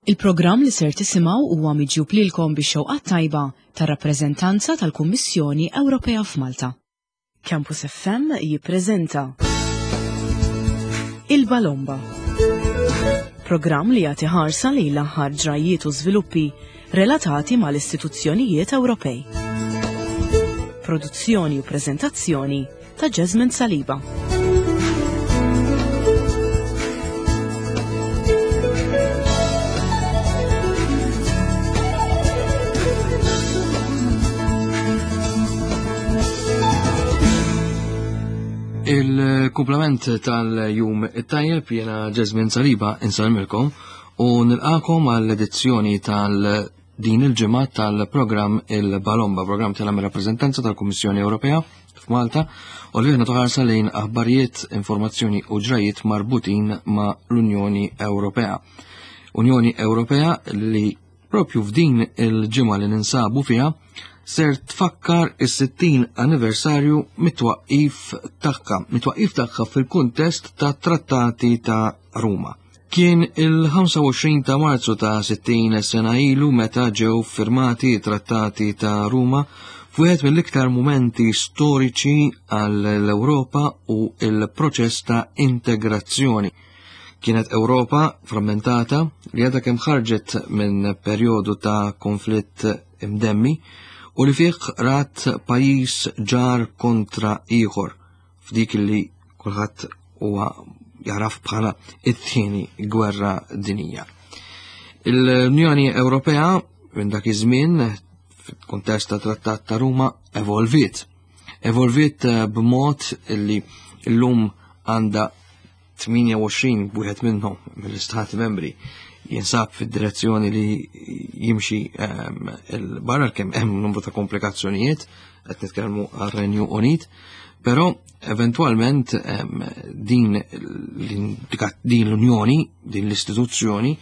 Il-programm li ser tisimgħu huwa miġjub lilkom bix-xewqat tajba tar-rappreżentanza tal-Kummissjoni Ewropea f'Malta. Campus FM jippreżenta Il-Balomba. Programm li jagħti ħarsa lejn l-aħħar ġrajjiet u żviluppi relatati mal-istituzzjonijiet Ewropej. Produzzjoni u preżentazzjoni ta' Jasmine Saliba. Il-kumplament tal-jum it-tajjeb jena Jasmine Saliba insalmilkom u nilqakom għall-edizzjoni tal- din il-ġimgħa tal-programm il-Balomba, programm tal-rappreżentanza tal-Kummissjoni Ewropea f'Malta u li aħna toħarsa lejn aħbarijiet, informazzjoni u ġrajiet marbutin ma' l-Unjoni Ewropea. Unjoni Ewropea li propju f'din il-ġimgħa li ninsabu fiha ser tfakkar is-60 anniversarju mit-twaqqif tagħha, mit-twaqqif tagħha fil-kuntest ta' Trattati ta' Ruma. Kien il-25 ta' Marzu ta' 60 sena ilu meta ġew firmati trattati ta' Ruma f'wieħed mill-iktar mumenti storiċi għall-Ewropa u il-proċess ta' integrazzjoni. Kienet Ewropa frammentata li għadha kemm ħarġet minn perjodu ta' konflitt imdemmi u li fih rat pajjiż ġar kontra ieħor f'dik li kulħadd huwa jaraf bħala it-tieni gwerra dinija. L-Unjoni Ewropea minn dak iż-żmien fil-kuntest ta' Trattat ta' Ruma evolviet. Evolviet eh, b'mod li llum għandha 28 wieħed minnhom mill-istati membri jinsab fid-direzzjoni li jimxi ehm, il-barra kemm hemm numru ta' komplikazzjonijiet qed nitkellmu għar-Renju Unit, però eventwalment ehm, din din l-Unjoni, din l-istituzzjoni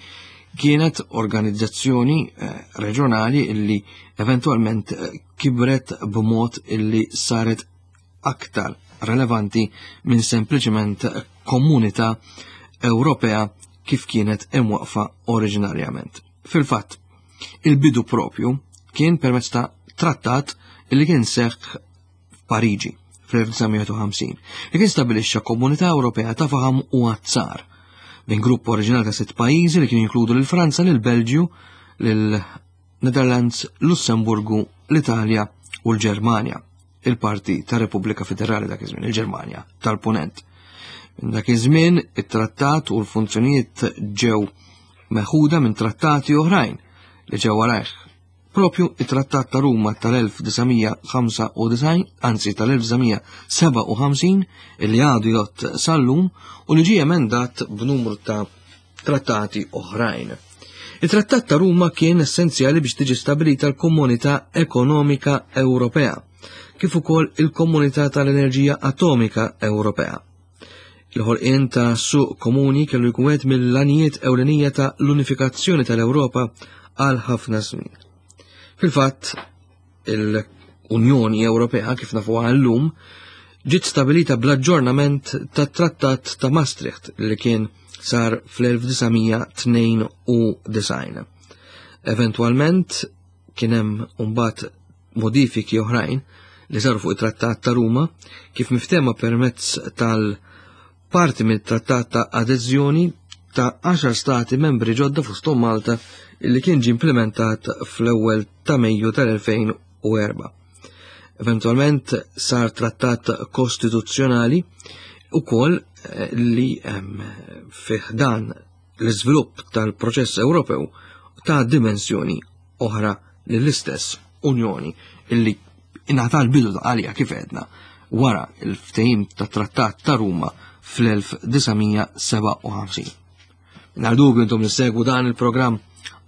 kienet organizzazzjoni eh, reġjonali illi eventwalment eh, kibret b'mod illi saret aktar relevanti minn sempliċement komunità Ewropea kif kienet imwaqfa oriġinarjament. Fil-fatt, il-bidu propju kien permezz ta' trattat li kien seħħ f'Pariġi fl-1950 li kien stabilixxa Komunità Ewropea ta' faħam u azzar minn grupp oriġinali ta' sitt pajjiżi li kien jinkludu lil Franza, lil Belġju, lil Netherlands, Lussemburgu, l-Italja u l-Ġermanja, il-parti ta' Repubblika Federali dak iż-żmien, il-Ġermanja tal-Punent. Minn dak iż-żmien it-trattat u l-funzjonijiet ġew meħuda minn trattati oħrajn li ġew warajh. Propju it-Trattat ta' Ruma tal-1995, anzi tal-1957, illi għadu jgħodd sal-lum u li ġie emendat b'numru ta' trattati oħrajn. Il-Trattat ta' Ruma kien essenzjali biex tiġi stabilita l-Komunità Ekonomika Ewropea, kif ukoll il-Komunità tal-Enerġija Atomika Ewropea. Il-ħolqien ta' suq komuni kellu jkun wieħed mill-għanijiet ewlenija ta' l-unifikazzjoni tal-Ewropa għal ħafna snin. Fil-fatt, il-Unjoni Ewropea kif nafuha llum ġiet stabilita bl-aġġornament tat-Trattat ta' Maastricht li kien sar fl-1992. Eventwalment kien hemm mbagħad modifiki oħrajn li saru fuq it-Trattat ta' Ruma kif miftema permezz tal-parti mit-Trattat ta' Adeżjoni ta' 10 stati membri ġodda fosthom Malta li kien ġie implementat fl-ewwel ta' Mejju tal-2004. Eventualment sar trattat kostituzzjonali ukoll eh, li fih dan l-iżvilupp tal-proċess Ewropew ta' dimensjoni oħra lill-istess Unjoni illi ingħata l-bidu ta' għalija kif għedna wara il-ftehim ta' trattat ta' Ruma fl-1957. Mingħajr dubju intom li segwu dan il-programm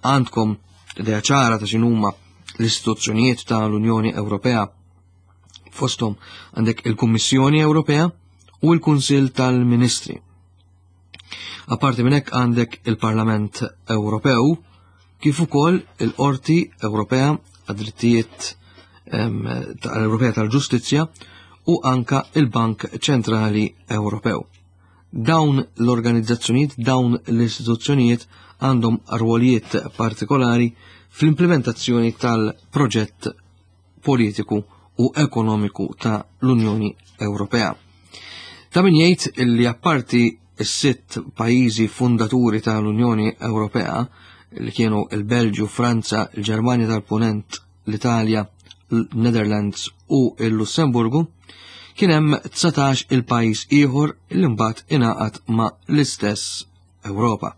għandkom idea ċara ta' x'inhuma l-istituzzjonijiet ta' l-Unjoni Ewropea. Fosthom għandek il-Kummissjoni Ewropea u l-Kunsill tal-Ministri. Apparti minn hekk għandek il-Parlament Ewropew kif ukoll il-Qorti Ewropea għad-drittijiet tal-Ewropea tal-Ġustizzja u anka il-Bank Ċentrali Ewropew. Dawn l-organizzazzjonijiet, dawn l-istituzzjonijiet għandhom rwolijiet partikolari fl-implementazzjoni tal-proġett politiku u ekonomiku ta' l-Unjoni Ewropea. Ta' min jgħid li apparti s-sitt pajjiżi fundaturi tal-Unjoni Ewropea li kienu il-Belġju, Franza, il-Ġermanja tal-Punent, l-Italja, l-Netherlands u l-Lussemburgu, kien hemm 19 il-pajjiż ieħor li mbagħad ingħaqad ma' l-istess Ewropa.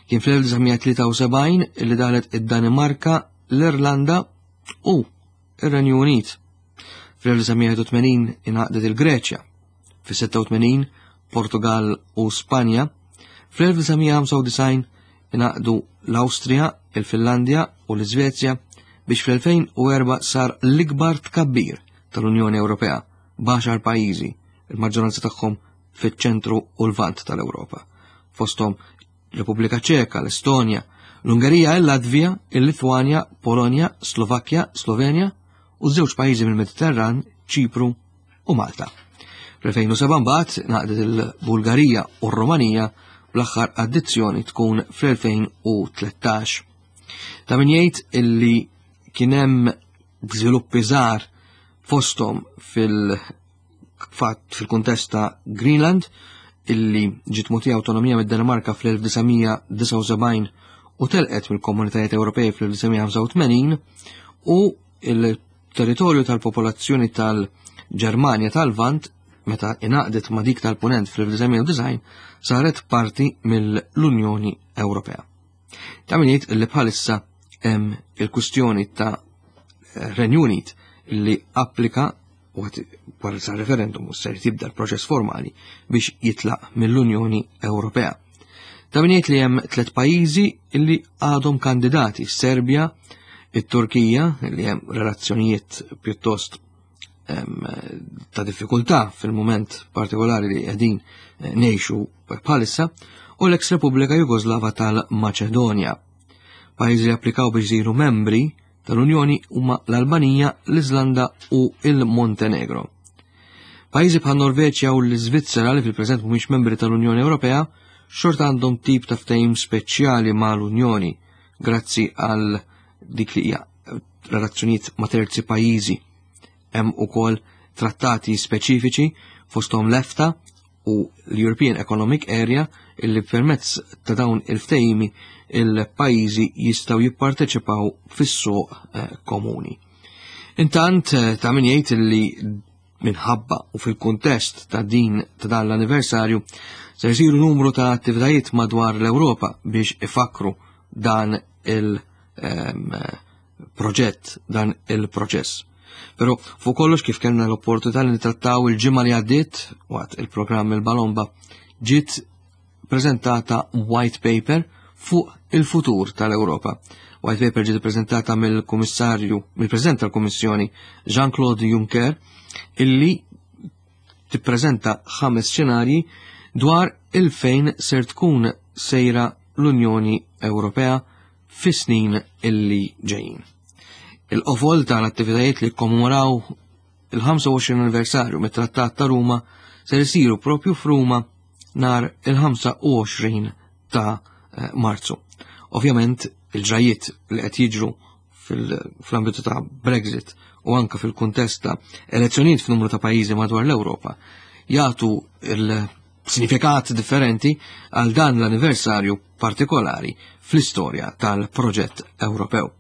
Kien fl-1973 li daħlet id-Danimarka, l-Irlanda u ir-Renju Unit. Fl-1981 ingħaqdet il-Greċja, fis-86 Portugal u Spanja, fl-1995 ingħaqdu l-Awstrija, il-Finlandja u l-Iżvezja biex fl-2004 sar l-ikbar tkabbir tal-Unjoni Ewropea b'għaxar pajjiżi, il-maġġoranza tagħhom fiċ-ċentru u l-vant tal-Ewropa. Fosthom Repubblika Ċeka, l-Estonja, l-Ungerija, il-Latvija, il-Litwanja, Polonja, Slovakkja, Slovenja u żewġ pajjiżi mill-Mediterran, Ċipru u Malta. Fl-2007 mbagħad naqdet il-Bulgarija u r-Rumanija bl-aħħar addizzjoni tkun fl-2013. Ta' min jgħid illi kien hemm żviluppi żgħar fosthom fil fatt fil-kuntest ta' Greenland illi ġiet mogħtija awtonomija mid-Danimarka fl-1979 u telqet mill-Komunitajiet Ewropej fl-1985 u il-territorju tal-popolazzjoni tal-Ġermanja tal-Lvant meta ingħaqdet ma' dik tal-Punent fl-1990 saret parti mill-Unjoni Ewropea. Ta' min jgħid li bħalissa hemm il-kwistjoni ta' Renju Unit li applika wara sa referendum u ser tibda l-proċess formali biex jitlaq mill-Unjoni Ewropea. Ta' min jgħid li hemm tliet pajjiżi li għadhom kandidati, Serbja, it-Turkija, li hemm relazzjonijiet pjuttost ta' diffikultà fil-mument partikolari li qegħdin eh, ngħixu bħalissa, u l-eks Repubblika Jugoslava tal-Maċedonja. Pajjiżi li applikaw biex isiru membri tal-Unjoni huma l-Albanija, l-Iżlanda u il-Montenegro. Pajjiżi bħal Norveċja u l-Iżvizzera li fil-preżent mhumiex membri tal-Unjoni Ewropea xorta għandhom tip ta' ftehim speċjali mal-Unjoni grazzi għal dik li hija relazzjonijiet ma' terzi pajjiżi. Hemm ukoll trattati speċifiċi fosthom l-EFTA u l-European Economic Area illi permezz ta' dawn il-ftehimi il-pajjiżi jistgħu jipparteċipaw fis-suq eh, komuni. Intant eh, ta' min jgħid li minħabba u fil-kuntest ta' din ta' dan l-anniversarju se jsiru numru ta' attivitajiet madwar l-Ewropa biex ifakru dan il- ehm, proġett dan il-proċess. Però fuq kollox kif kellna l-opportunità li nitrattaw il-ġimgħa li għaddiet waqt il-programm il-Balomba ġiet prezentata white paper fuq il-futur tal-Ewropa. White paper ġiet prezentata mill-Kummissarju, mill-President tal-Kummissjoni Jean-Claude Juncker illi tippreżenta ħames xenarji dwar il-fejn ser tkun sejra l-Unjoni Ewropea fis-snin illi ġejjin. Il-qofol tal-attivitajiet li kommemoraw il-25 anniversarju mit-Trattat ta' Ruma ser isiru propju f'Ruma nar il-25 ta' eh, Marzu. Ovvjament il-ġrajiet li qed jiġru fl-ambitu ta' Brexit u anka fil-kuntest ta' elezzjonijiet f'numru ta' pajjiżi madwar l-Ewropa jagħtu il-sinifikat differenti għal dan l-anniversarju partikolari fl-istorja tal-proġett Ewropew.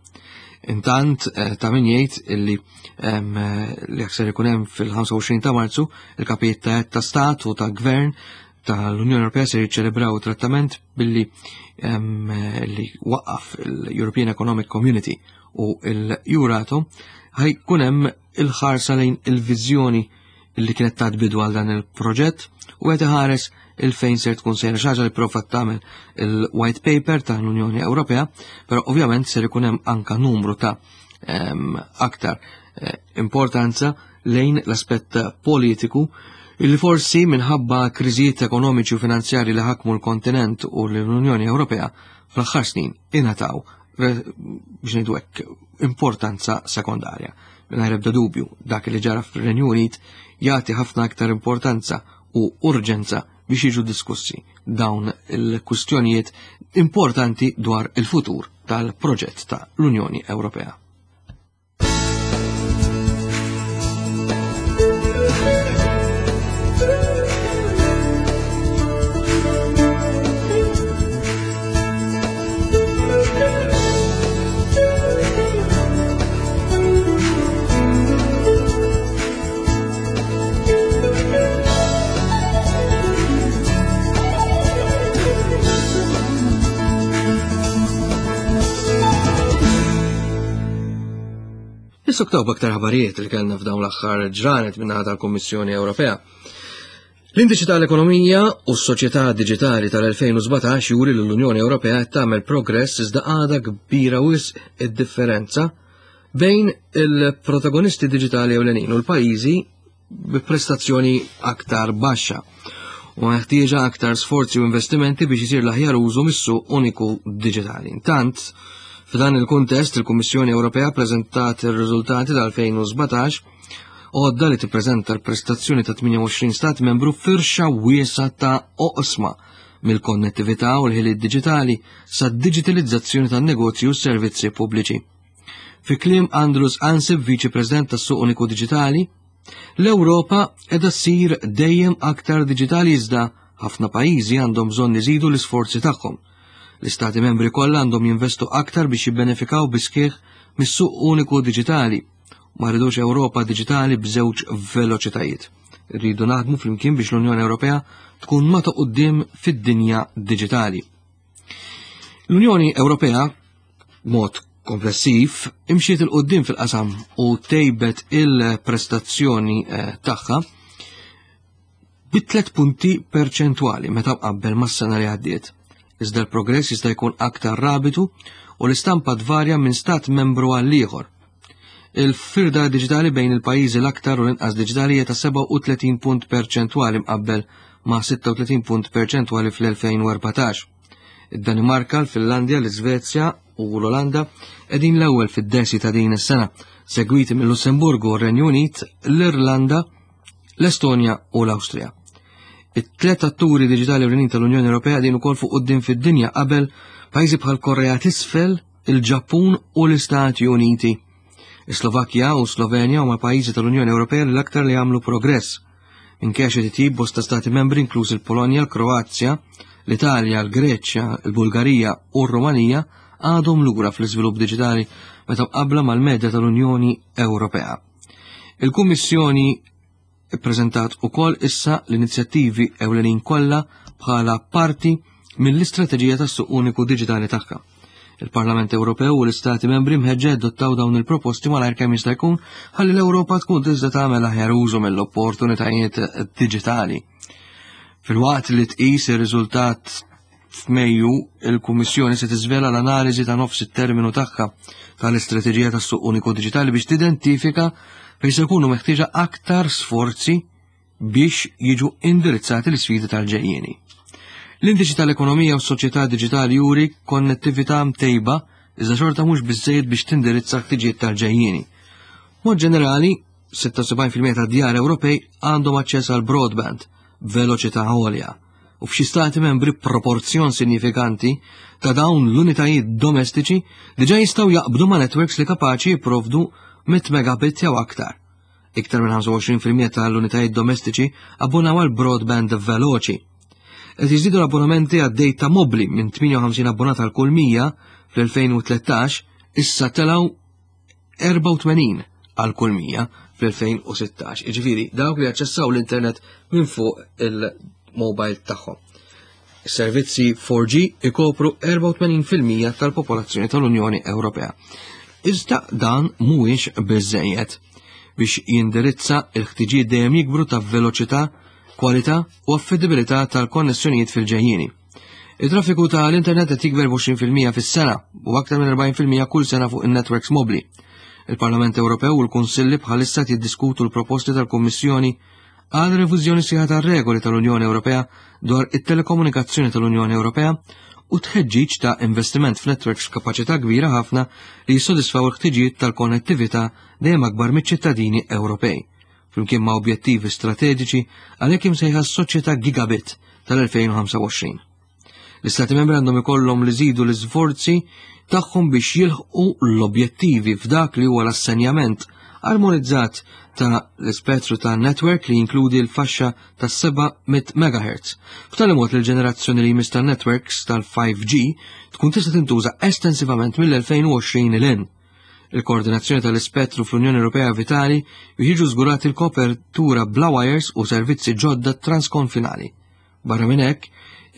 Intant eh, ta' min jgħid illi li akser ikun hemm fil-25 ta' Marzu il-kapijiet ta' ta' stat u ta' gvern tal-Unjoni Ewropea se jiċċelebraw trattament billi li waqqaf il-European Economic Community u l-Euratom ħajkun hemm il-ħarsa lejn il-viżjoni li kienet tat bidu għal dan il-proġett u qed iħares il-fejn ser tkun sejra xi ħaġa li prova tagħmel il-white paper tal-Unjoni Ewropea, però ovvjament ser ikun hemm anka numru ta' aktar eh, importanza lejn l-aspett politiku illi forsi minħabba kriżijiet ekonomiċi u finanzjari li ħakmu l-kontinent u l-Unjoni Ewropea fl-aħħar snin ingħataw biex ngħidu hekk importanza sekondarja. Mingħajr ebda dubju dak li ġara fir-Renju Unit jagħti ħafna aktar importanza u urġenza biex jiġu diskussi dawn il-kwistjonijiet importanti dwar il-futur tal-proġett ta' l-Unjoni Ewropea. Nissuktaw b'aktar ħabarijiet li kellna f'dawn l-aħħar ġranet minnaħa tal-Kummissjoni Ewropea. L-Indiċi tal-Ekonomija u s-Soċjetà Diġitali tal-2017 juri li l-Unjoni Ewropea qed tagħmel progress iżda għadha kbira wisq id-differenza bejn il-protagonisti diġitali ewlenin u l-pajjiżi bi prestazzjoni aktar baxxa u ħtieġa aktar sforzi u investimenti biex isir l-aħjar użu mis-suq uniku diġitali. Intant, f'dan il-kuntest, il-Kummissjoni Ewropea preżentat ir-riżultati tal-2017 għodda li tippreżenta l-prestazzjoni ta' 28 stat membru firxa wiesa ta' oqsma mill-konnettività u l-ħiliet diġitali sa' digitalizzazzjoni tan-negozju u s-servizzi pubbliċi. Fi kliem Andrus Ansip, Viċi President tas-Suq Uniku Diġitali, l-Ewropa qiegħda ssir dejjem aktar diġitali iżda ħafna pajjiżi għandhom bżonn iżidu l-isforzi tagħhom. L-Istati membri kollha għandhom jinvestu aktar biex jibbenefikaw bis-sħiħ mis-suq uniku diġitali. Ma rridux Ewropa diġitali b'żewġ veloċitajiet. Rridu naħdmu flimkien biex l-Unjoni Ewropea tkun ma ta' quddiem fid-dinja diġitali. L-Unjoni Ewropea mod komplessiv imxiet il-qoddim fil-qasam u tejbet il-prestazzjoni eh, tagħha bi tlet punti perċentwali meta mqabbel mas-sena li għaddiet. Iżda l-progress jista' jkun aktar rabitu u l-istampa tvarja minn stat membru għal ieħor. Il-firda diġitali bejn il-pajjiżi l-aktar u l-inqas diġitali hija ta' 37 punt perċentwali mqabbel ma' 36 punt perċentwali fl-2014. Id-Danimarka, l-Finlandja, l-Iżvezja u l-Olanda qegħdin l-ewwel fid-desi ta' din is-sena, segwiti mill-Lussemburgu, r-Renju Unit, l-Irlanda, l-Estonja u l-Awstrija. It-tlet atturi diġitali ewlenin tal-Unjoni Ewropea qegħdin ukoll fuq quddiem fid-dinja qabel pajjiżi bħal Korea t'Isfel, il-Ġappun u l-Istati Uniti. Is-Slovakkja u Slovenja huma pajjiżi tal-Unjoni Ewropea li l-aktar li għamlu progress. Minkejja xi titjib bosta stati membri inkluż il-Polonja, l-Kroazja, l-Italja, l-Greċja, il-Bulgarija u r-Rumanija għadhom lura fl-iżvilupp diġitali meta mqabbla mal-medja tal-Unjoni Ewropea. Il-Kummissjoni ippreżentat ukoll issa l-inizjattivi ewlenin kollha bħala parti mill-istrateġija tas-suq uniku diġitali tagħha. Il-Parlament Ewropew u l-Istati membri mħeġġa jadottaw dawn il-proposti malajr kemm jista' jkun ħalli l-Ewropa tkun tista' tagħmel aħjar użu mill-opportunitajiet diġitali. Filwaqt li tqis ir-riżultat f'Mejju, il-Kummissjoni se tiżvela l-analiżi ta' nofs it-terminu tagħha tal-istrateġija tas-suq uniku diġitali biex tidentifika fejn se jkunu meħtieġa aktar sforzi biex jiġu indirizzati l-isfidi tal-ġejjieni. L-indiċi tal-ekonomija u s-soċjetà diġitali juri konnettività mtejba iżda xorta mhux biżżejjed biex tindirizza ħtiġijiet tal-ġejjieni. Mod ġenerali, 76% tad-djar Ewropej għandhom aċċess għal broadband b'veloċità għolja u f'xi stati membri proporzjon sinjifikanti ta' dawn l-unitajiet domestiċi diġà jistgħu jaqbdu ma' networks li kapaċi jipprovdu 100 megabit jew aktar. Iktar minn 25% tal-unitajiet domestiċi abbonaw għal broadband veloċi. Qed jiżdiedu l-abbonamenti għad-data mobbli minn 58 abbonat għal kull 100 fl-2013 issa telgħu 84 għal kull 100 fl-2016. Jiġifieri dawk li jaċċessaw l-internet minn fuq il-mobile tagħhom. Is-servizzi 4G ikopru 84% tal-popolazzjoni tal-Unjoni Ewropea. Iżda dan mhuwiex biżejjed biex jindirizza l-ħtiġijiet dejjem jikbru ta' veloċità, kwalità u affidibilità tal-konnessjonijiet fil-ġejjieni. Il-traffiku ta' l-internet qed jikber b'20% fis-sena u aktar minn 40% kull sena fuq in-networks mobbli. Il-Parlament Ewropew u l-Kunsilli bħalissa jiddiskutu l-proposti tal-Kummissjoni għal reviżjoni sħiħa tar-regoli tal-Unjoni Ewropea dwar it-telekomunikazzjoni tal-Unjoni Ewropea u tħeġġiġ ta' investiment f'networks f'kapaċità kbira ħafna li jissodisfaw il-ħtiġijiet tal-konnettività dejjem akbar miċ-ċittadini Ewropej, flimkien ma' objettivi strateġiċi għalhekk imsejħa s-soċjetà gigabit tal-2025. L-Istati Membri għandhom ikollhom li jżidu l-isforzi tagħhom biex jilħqu l-objettivi f'dak li huwa l-assenjament armonizzat ta' l-ispettru ta' network li jinkludi l-faxxa ta' 700 MHz. B'tali mod li l-ġenerazzjoni li jmiss ta' networks tal-5G tkun tista' tintuża estensivament mill-2020 'l hinn. Il-koordinazzjoni tal-ispettru fl-Unjoni Ewropea vitali biex jiġu żgurati l-kopertura bla wires u servizzi ġodda transkonfinali. Barra minn hekk,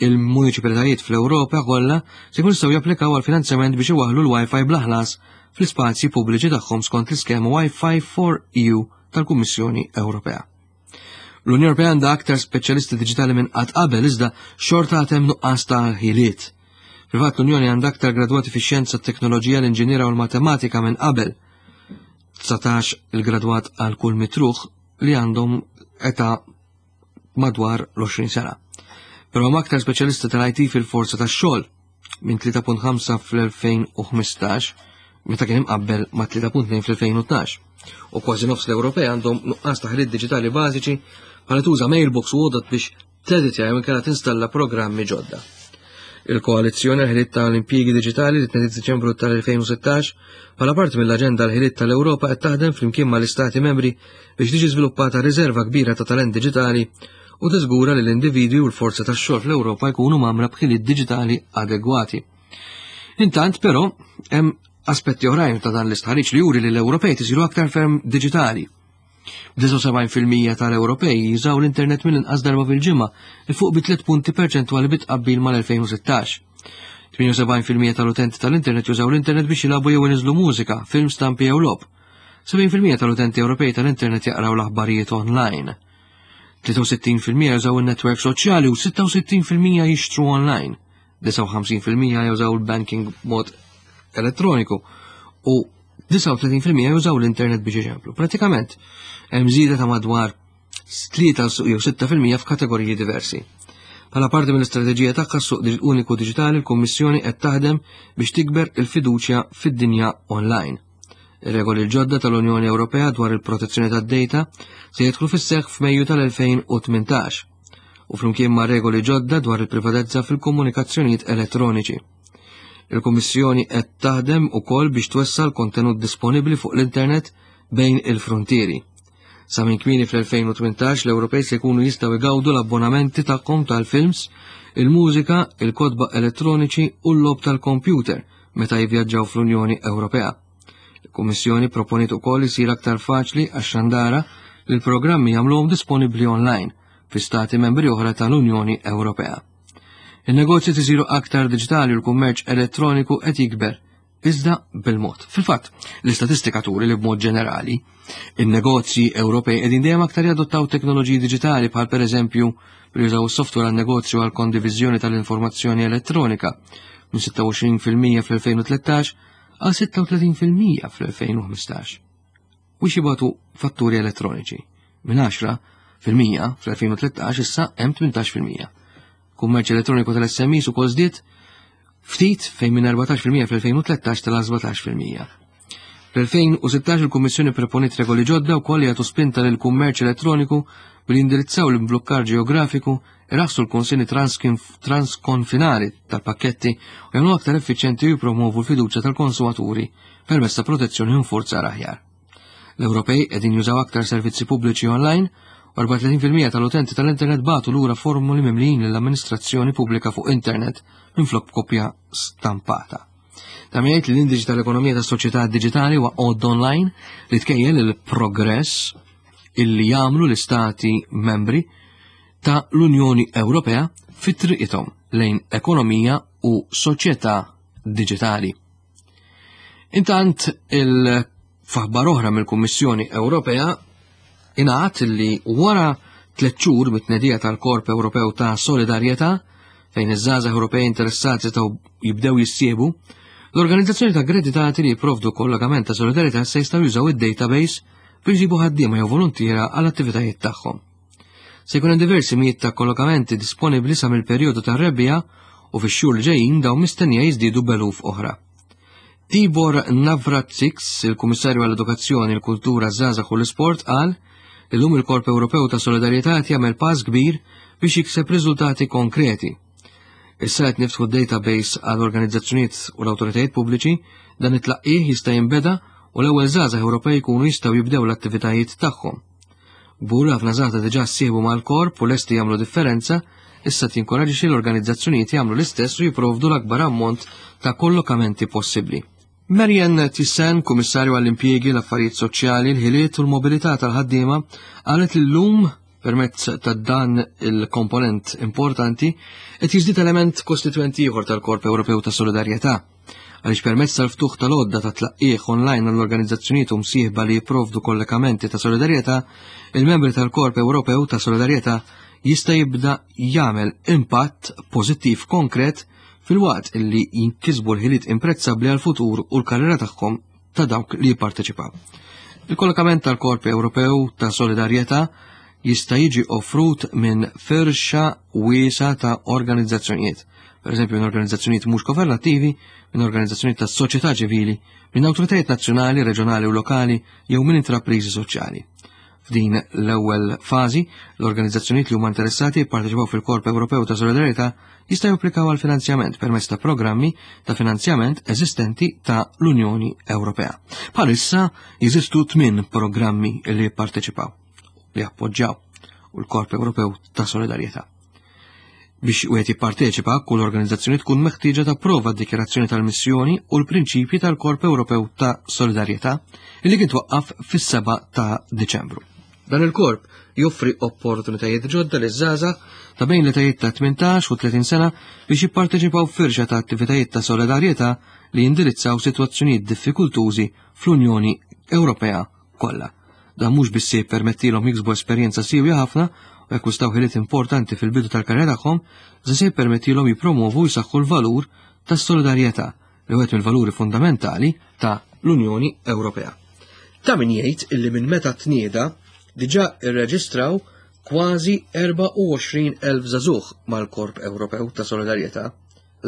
il-muniċipalitajiet fl-Ewropa kollha se jkunu jistgħu japplikaw għal finanzjament biex iwaħħlu l-Wi-Fi bla ħlas fl-ispazji pubbliċi tagħhom skont l-iskema Wi-Fi for EU tal-Kummissjoni Ewropea. L-Unjoni Ewropea għandha aktar speċjalisti diġitali minn qatt qabel iżda xorta għad hemm nuqqas ta' ħiliet. Fil-fatt l-Unjoni għandha aktar gradwati fix-xjenza, t-teknoloġija, l-inġiniera u l-matematika minn qabel. 19 il-gradwat għal kull mitruħ li għandhom età madwar l-20 sena. Però hemm aktar speċjalisti tal-IT fil-forza tax-xogħol minn 3.5 fl-2015 meta kien imqabbel ma' 3.2 fl-2012. U kważi nofs l-Ewropej għandhom nuqqas ta' ħiliet diġitali bażiċi bħala tuża mailbox u għodot biex teditja jew inkella tinstalla programmi ġodda. Il-Koalizzjoni għal-Ħiliet tal-Impjiegi Diġitali li tnediet Diċembru tal-2016 bħala parti mill-Aġenda għall-Ħiliet tal-Ewropa qed taħdem flimkien mal-Istati membri biex tiġi żviluppata riserva kbira ta' talent diġitali u tiżgura li l-individwi u l-forza tax-xogħol fl-Ewropa jkunu mgħammra b'ħiliet diġitali adegwati. Intant, però, hemm aspetti oħrajn ta' dan l-istħarriġ li juri li l-Ewropej tisiru aktar ferm diġitali. 79% tal-Ewropej jużaw l-internet mill-inqas darba fil-ġimgħa, 'il fuq bi 3 punti perċentwali bi tqabbil mal-2016. 78% tal-utenti tal-internet jużaw l-internet biex jilagħbu jew iniżlu mużika, film, stampi jew logħob. 70% tal-utenti Ewropej tal-internet jaqraw l-aħbarijiet online. 63% jużaw in-netwerk soċjali u 66% jixtru online. 59% jużaw il-banking b'mod elettroniku u 39% jużaw l-internet biex iċemplu. Pratikament, hemm żieda ta' madwar 3 jew 6% f'kategoriji diversi. Bħala parti mill-istrateġija tagħha suq uniku diġitali l-Kummissjoni qed taħdem biex tikber il-fiduċja fid-dinja online. Ir-regoli l-ġodda tal-Unjoni Ewropea dwar il-protezzjoni tad-data se jidħlu fis-seħħ f'Mejju tal-2018 u flimkien ma' regoli ġodda dwar il-privatezza fil-komunikazzjonijiet elettroniċi. Il-Kummissjoni qed taħdem ukoll biex twessa' l-kontenut disponibbli fuq l-internet bejn il-frontieri. Sa minn kmieni fl-2018 l-Ewropej se jkunu jistgħu jgawdu l-abbonamenti tagħhom tal-films, il-mużika, il-kotba elettroniċi u l-logħob tal-kompjuter meta jivvjaġġaw fl-Unjoni Ewropea. Il-Kummissjoni proponiet ukoll isir aktar faċli għax-xandara li l-programmi jagħmluhom disponibbli online fi stati membri oħra tal-Unjoni Ewropea. Il-negozji isiru aktar diġitali u l-kummerċ elettroniku qed jikber iżda bil-mod. Fil-fatt, l-istatistika turi li b'mod ġenerali, in-negozji Ewropej qegħdin dejjem aktar jadottaw teknoloġiji diġitali bħal pereżempju billi jużaw is-software għan-negozju għal kondiviżjoni tal-informazzjoni elettronika minn 26% fl-2013 għal 36% fl-2015. U jibagħtu fatturi elettroniċi minn 10% fl-2013 issa hemm 18%. Kummerċ elettroniku tal-SMEs ukoll żdied ftit fejn minn 14% fl-2013 tela' 17%. Fl-2016 il-Kummissjoni proponiet regoli ġodda wkoll li jagħtu spinta lil kummerċ elettroniku billi jindirizzaw l-imblukkar ġeografiku, iraħħsu l-konsenji transkonfinali tal-pakketti u jagħmlu aktar effiċjenti u jippromovu l-fiduċja tal-konsumaturi permezz ta' protezzjoni u infurzar aħjar. L-Ewropej qegħdin jużaw aktar servizzi pubbliċi online u 34% tal-utenti tal-internet bagħtu lura formuli mimlijin lill-amministrazzjoni pubblika fuq internet minflok b'kopja stampata. Ta' min jgħid li l-indiċi tal-ekonomija tas-soċjetà diġitali huwa għodda online li tkejjel il-progress illi jagħmlu l-istati membri ta' l-Unjoni Ewropea fit triqithom lejn ekonomija u soċjetà diġitali. Intant il-faħbar oħra mill-Kummissjoni Ewropea ingħad li wara tliet xhur mit-tnedija tal-Korp Ewropew ta' Solidarjetà fejn iż-żgħażagħ Ewropej interessati setgħu jibdew jissiebu, l-organizzazzjoni ta' aggreditati li jipprovdu kollokament ta' solidarjetà se jistgħu jużaw id-database biex jġibu ħaddiema jew voluntiera għall attivitajiet tagħhom. Se jkun hemm diversi mijiet ta' kollokamenti disponibbli sa mill-perjodu tar-rebbiegħa u fix-xhur li ġejjin dawn mistennija jiżdiedu b'eluf oħra. Tibor Navracsics, il-Kummissarju għall-Edukazzjoni, il-Kultura, ż-Żgħażagħ u l-Isport qal Illum il-Korp Ewropew ta' Solidarjetà qed jagħmel pass kbir biex jikseb riżultati konkreti. Issa qed niftħu database għal organizzazzjonijiet u l-awtoritajiet pubbliċi, dan it-tlaqqih jista' jinbeda u l-ewwel żgħażagħ Ewropej jkunu jistgħu jibdew l-attivitajiet tagħhom. Kbur ħafna żgħażagħ diġà ssieħbu mal-korp u lesti jagħmlu differenza, issa tinkoraġixxi l-organizzazzjonijiet jagħmlu l-istess u jipprovdu l-akbar ammont ta' kollokamenti possibbli. Marianne Thyssen, Kummissarju għall-Impjiegi, l-Affarijiet Soċjali, l-Ħiliet u l-Mobilità tal-Ħaddiema, qalet li llum permezz ta' dan il-komponent importanti qed jiżdied element kostitwenti ieħor tal-Korp Ewropew ta' Solidarjetà. Għaliex permezz tal-ftuħ tal-għodda ta' tlaqqigħ online għall-organizzazzjonijiet u msieħba li jipprovdu kollekamenti ta' solidarjetà, il-membri tal-Korp Ewropew ta' Solidarjetà jista' jibda jagħmel impatt pożittiv konkret filwaqt li jinkisbu l-ħiliet imprezzabbli għall-futur u l-karriera tagħhom ta' dawk li jipparteċipaw. Il-kollokament tal-Korp Ewropew ta' Solidarjetà jista' jiġi offrut minn firxa wiesa ta' organizzazzjonijiet, per eżempju minn organizzazzjonijiet mhux governattivi, minn organizzazzjonijiet tas soċjetà ċivili, minn awtoritajiet nazzjonali, reġjonali u lokali jew minn intrapriżi soċjali. F'din l-ewwel fażi, l-organizzazzjonijiet li huma interessati jipparteċipaw fil-Korp Ewropew ta' Solidarjetà jistgħu japplikaw għal finanzjament permezz ta' programmi ta' finanzjament eżistenti ta' l-Unjoni Ewropea. Bħalissa jeżistu tmien programmi li jipparteċipaw li appoġġjaw u l-Korp Ewropew ta' Solidarjetà. Biex wieħed jipparteċipa, kull organizzazzjoni tkun meħtieġa tapprova d-dikjarazzjoni tal-missjoni u l-prinċipji tal-Korp Ewropew ta' Solidarjetà li kien twaqqaf fis-7 ta' Diċembru. Dan il-korp joffri opportunitajiet ġodda li żgħażagħ ta' bejn l-etajiet ta' 18 u 30 sena biex jipparteċipaw f'firxa ta' attivitajiet ta' solidarjetà li jindirizzaw sitwazzjonijiet diffikultużi fl-Unjoni Ewropea kollha. Dan mhux biss se jippermettilhom jiksbu esperjenza siewja ħafna u jakkwistaw ħiliet importanti fil-bidu tal-karriera tagħhom, iżda se jippermettilhom jippromovu u jsaħħu l-valur tas-solidarjetà li wieħed mill-valuri fundamentali ta' l-Unjoni Ewropea. Ta' min jgħid illi minn meta tnieda diġà irreġistraw kważi 24,000 żagħżugħ mal-Korp Ewropew ta' Solidarjetà.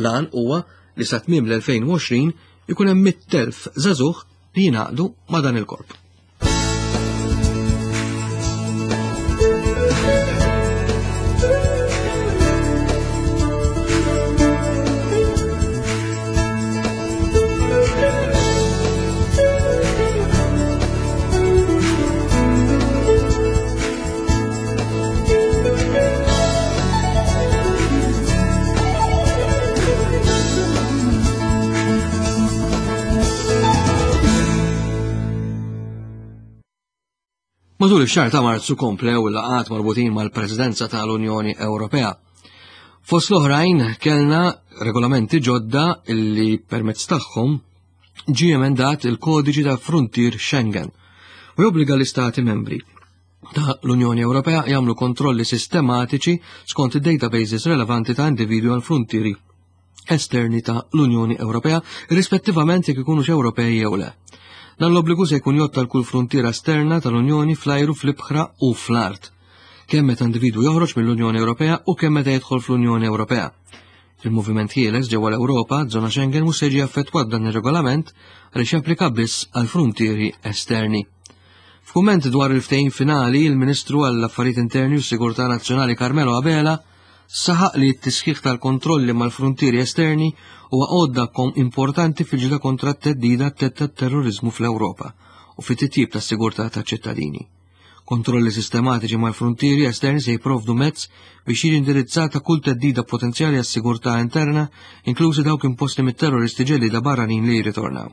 L-għan huwa li sa tmiem l-2020 ikun hemm 100,000 żagħżugħ li jingħaqdu ma' dan il-korp. Matul ix-xahar ta' Marzu komplew il-laqgħat marbutin mal-Presidenza tal-Unjoni Ewropea. Fost l-oħrajn kellna regolamenti ġodda illi permezz tagħhom ġie emendat il-kodiċi ta' Frontier Schengen u jobbliga l-istati membri ta' l-Unjoni Ewropea jagħmlu kontrolli sistematiċi skont id-databases relevanti ta' individwi għal frontieri esterni ta' l-Unjoni Ewropea, rispettivament jekk ikunux Ewropej jew le. Dan l-obbligu se jkun jotta l kull frontiera esterna tal-Unjoni fl-ajru, fl-ibħra u fl-art. Kemm meta individwu joħroġ mill-Unjoni Ewropea u kemm meta jidħol fl-Unjoni Ewropea. Il-moviment ħieles ġewwa l-Ewropa, żona Schengen mhux se jiġi affettwat dan ir-regolament għaliex japplika biss għal fruntieri esterni. F'kumment dwar il-ftehim finali, il-Ministru għall-Affarijiet Interni u Sigurtà Nazzjonali Carmelo Abela saħaq li t-tisħiħ tal-kontrolli mal-fruntieri esterni huwa għodda importanti fil-ġida kontra t-teddida tat-terrorizmu fl-Ewropa u fit-titjib tas-sigurtà taċ-ċittadini. Kontrolli sistematiċi mal-fruntieri esterni se jipprovdu mezz biex jiġi indirizzata kull teddida potenzjali għas-sigurtà interna, inklużi dawk imposti mit-terroristi ġellieda barranin li jirritornaw.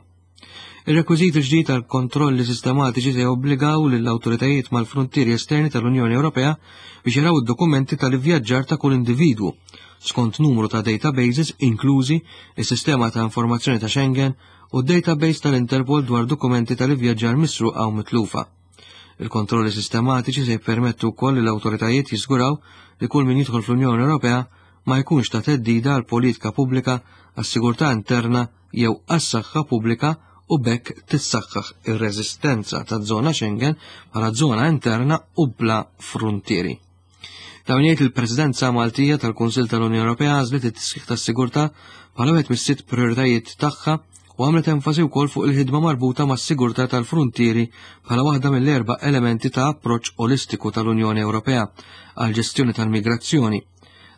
Ir-rekwiżit ġdid għal kontrolli sistematiċi se jobbligaw lill-awtoritajiet mal-fruntieri esterni tal-Unjoni Ewropea biex jaraw id-dokumenti tal-ivvjaġġar ta' kull individwu skont numru ta' databases inklużi is-sistema ta' informazzjoni ta' Schengen u d-database tal-Interpol dwar dokumenti tal-ivvjaġġar misruqa u mitlufa. Il-kontrolli sistematiċi se jippermettu wkoll li l-awtoritajiet jiżguraw li kull min jidħol fl-Unjoni Ewropea ma jkunx ta' theddida għal politika pubblika għas-sigurtà interna jew għas-saħħa pubblika u b'hekk tissaħħaħ ir-reżistenza taż-żona Schengen bħala żona interna u bla fruntieri. Ta' min jgħid il-Presidenza Maltija tal-Kunsill tal-Unjoni Ewropea għażlet it-tisħiħ tas-sigurtà bħala wieħed mis-sitt prioritajiet tagħha u għamlet enfasi wkoll fuq il-ħidma marbuta mas-sigurtà tal-fruntieri bħala waħda mill-erba' elementi ta' approċċ olistiku tal-Unjoni Ewropea għall-ġestjoni tal-migrazzjoni.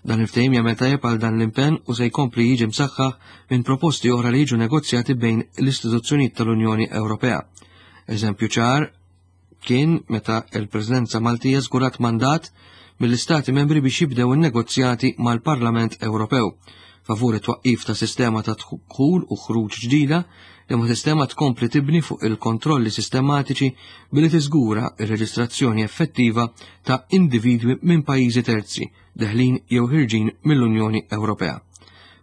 Dan il-ftehim jagħmel tajjeb għal dan l-impenn u se jkompli jiġi msaħħaħ minn proposti oħra li jiġu negozjati bejn l-istituzzjonijiet tal-Unjoni Ewropea. Eżempju ċar kien meta l-Presidenza Maltija żgurat mandat mill-Istati membri biex jibdew in-negozjati mal-Parlament Ewropew favur it-twaqqif ta' sistema ta' dħul u ħruġ ġdida li ma sistema tkompli tibni fuq il-kontrolli sistematiċi billi tiżgura ir-reġistrazzjoni effettiva ta' individwi minn pajjiżi terzi deħlin jew ħirġin mill-Unjoni Ewropea.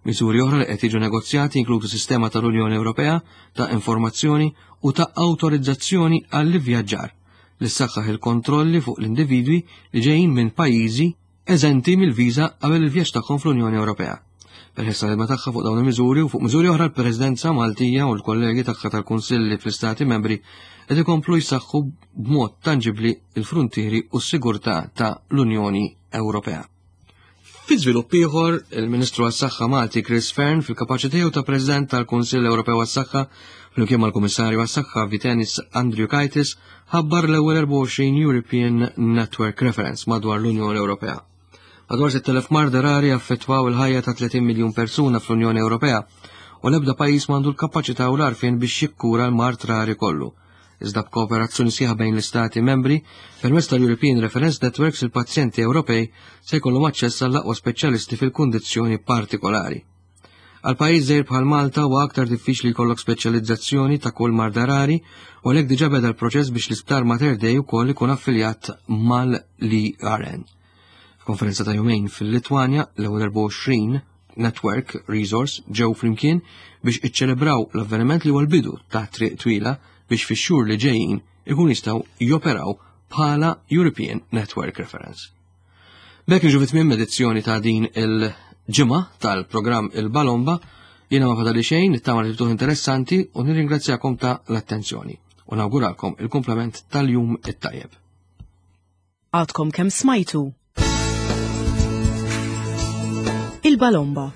Miżuri oħra li qed jiġu negozjati jinkludu sistema tal-Unjoni Ewropea ta' informazzjoni u ta' awtorizzazzjoni għall-ivvjaġġar li ssaħħaħ il-kontrolli fuq l-individwi li ġejjin minn pajjiżi eżenti mill-viża qabel il-vjaġġ tagħhom fl-Unjoni Ewropea. Peress tal-ħidma tagħha fuq dawn il-miżuri u fuq miżuri oħra l-Presidenza Maltija u l-kollegi tagħha tal-Kunsilli fl-Istati Membri qed ikomplu jsaħħu b'mod tanġibli l-fruntieri u s-sigurtà ta' l-Unjoni Ewropea. Fi żvilupp ieħor, il-Ministru għas-Saħħa Malti Chris Fearne fil-kapaċità tiegħu ta' President tal-Kunsill Ewropew għas-Saħħa flimkien mal-Kummissarju għas-Saħħa Vytenis Andriukaitis ħabbar l-ewwel 24 European Network Reference madwar l-Unjoni Ewropea. Madwar 6,000 marda rari affettwaw il-ħajja ta' 30 miljun persuna fl-Unjoni Ewropea u l-ebda pajjiż m'għandu l-kapaċità u l-għarfien biex jikkura l-mard rari kollu. Iżda b'kooperazzjoni sħiħa bejn l-Istati membri, permezz tal-European Reference Networks il-pazjenti Ewropej se jkollhom aċċess għall-aqwa speċjalisti fil-kundizzjoni partikolari. Għal pajjiż żgħir bħal Malta huwa aktar diffiċli jkollok speċjalizzazzjoni ta' kull marda rari u għalhekk diġà beda l-proċess biex l-Isptar Mater Dei wkoll ikun affiljat mal-ERN. F'konferenza ta' jumejn fil-Litwanja, l-ewwel 24 Network Resource ġew flimkien biex iċċelebraw l-avveniment li huwa l-bidu ta' triq twila biex fix-xhur li ġejjin ikun jistgħu joperaw bħala European Network Reference. B'hekk niġu fit-tmiem edizzjoni ta' din il-ġimgħa tal-programm Il-Balomba, jiena ma fadali xejn, nittama li ftuħ interessanti u nirringrazzjakom ta' l-attenzjoni u nawguralkom il-komplement tal-jum it-tajjeb. Għadkom kemm smajtu Il-Balomba.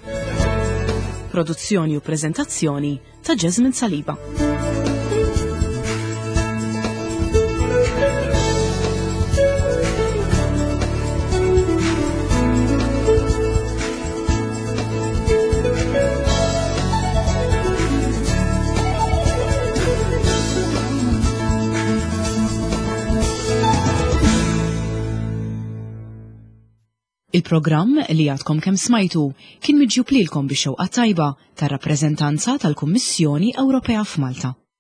Produzzjoni u preżentazzjoni ta' Jasmine Saliba. Il-programm li għadkom kemm smajtu kien miġjub lilkom bix-xewqa tajba tar-rappreżentanza tal-Kummissjoni Ewropea f'Malta.